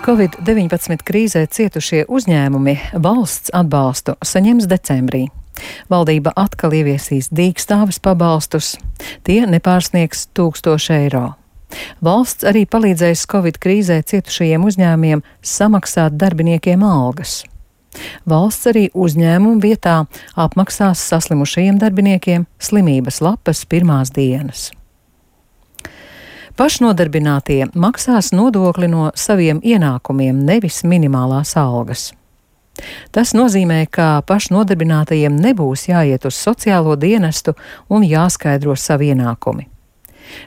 Covid-19 krīzē cietušie uzņēmumi valsts atbalstu saņems decembrī. Valdība atkal ieviesīs dīkstāves pabalstus, tie nepārsniegs 1000 eiro. Valsts arī palīdzēs Covid krīzē cietušajiem uzņēmumiem samaksāt darbiniekiem algas. Valsts arī uzņēmumu vietā apmaksās saslimušajiem darbiniekiem slimības lapas pirmās dienas. Pašnodarbinātie maksās nodokli no saviem ienākumiem, nevis minimālās algas. Tas nozīmē, ka pašnodarbinātajiem nebūs jāiet uz sociālo dienestu un jāskaidro savi ienākumi.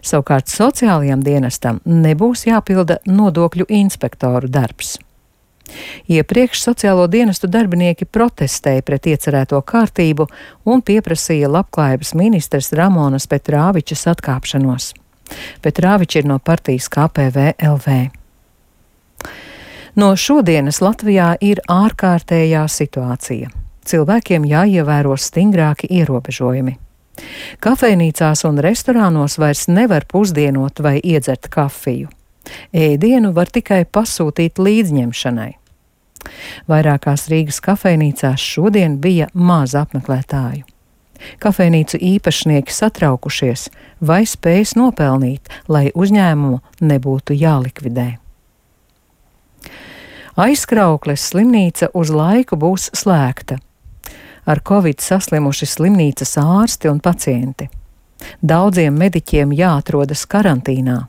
Savukārt sociālajam dienestam nebūs jāpilda nodokļu inspektoru darbs. Iepriekš sociālo dienestu darbinieki protestēja pret iecerēto kārtību un pieprasīja labklājības ministres Ramonas Petrāvičas atkāpšanos. Petrāviča ir no partijas KPVLV. No šodienas Latvijā ir ārkārtējā situācija. Cilvēkiem jāievēro stingrāki ierobežojumi. Kafejnīcās un restorānos vairs nevar pusdienot vai iedzert kafiju. Ēdienu var tikai pasūtīt līdzņemšanai. Vairākās Rīgas kafejnīcās šodien bija maz apmeklētāju. Kafejnīcu īpašnieki satraukušies, vai spējas nopelnīt, lai uzņēmumu nebūtu jālikvidē. Aizkraukles slimnīca uz laiku būs slēgta. Ar Covid saslimuši slimnīcas ārsti un pacienti. Daudziem mediķiem jāatrodas karantīnā.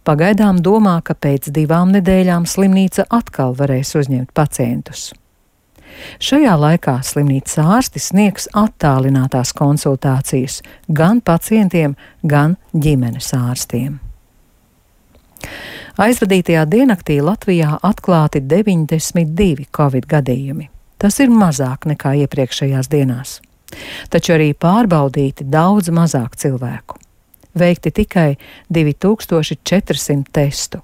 Pagaidām domā, ka pēc 2 nedēļām slimnīca atkal varēs uzņemt pacientus. Šajā laikā slimnīcas ārsti sniegs attālinātās konsultācijas gan pacientiem, gan ģimenes ārstiem. Aizvadītajā diennaktī Latvijā atklāti 92 Covid gadījumi. Tas ir mazāk nekā iepriekšējās dienās. Taču arī pārbaudīti daudz mazāk cilvēku. Veikti tikai 2400 testu.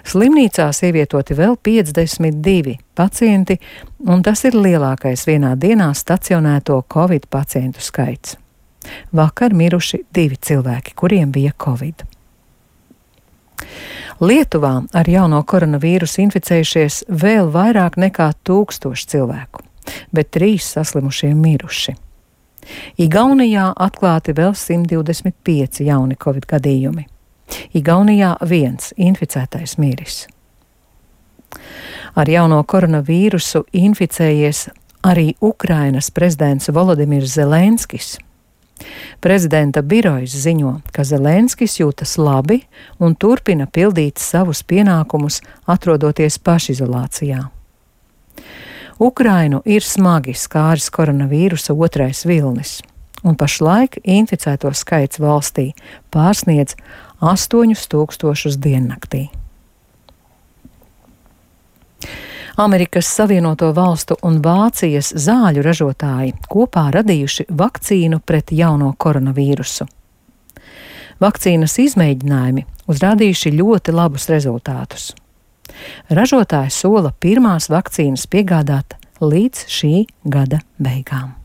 Slimnīcās ievietoti vēl 52 pacienti, un tas ir lielākais vienā dienā stacionēto Covid pacientu skaits. Vakar miruši 2 cilvēki, kuriem bija Covid. Lietuvā ar jauno koronavīrusu inficējušies vēl vairāk nekā 1000 cilvēku, bet 3 saslimušie miruši. Igaunijā atklāti vēl 125 jauni Covid gadījumi. Igaunijā 1 inficētais miris. Ar jauno koronavīrusu inficējies arī Ukrainas prezidents Volodimirs Zelenskis. Prezidenta birojas ziņo, ka Zelenskis jūtas labi un turpina pildīt savus pienākumus, atrodoties pašizolācijā. Ukrainu ir smagi skāris koronavīrusa 2. vilnis, un pašlaik inficēto skaits valstī pārsniedz 8000 diennaktī. Amerikas Savienoto Valstu un Vācijas zāļu ražotāji kopā radījuši vakcīnu pret jauno koronavīrusu. Vakcīnas izmēģinājumi uzrādījuši ļoti labus rezultātus. Ražotāji sola pirmās vakcīnas piegādāt līdz šī gada beigām.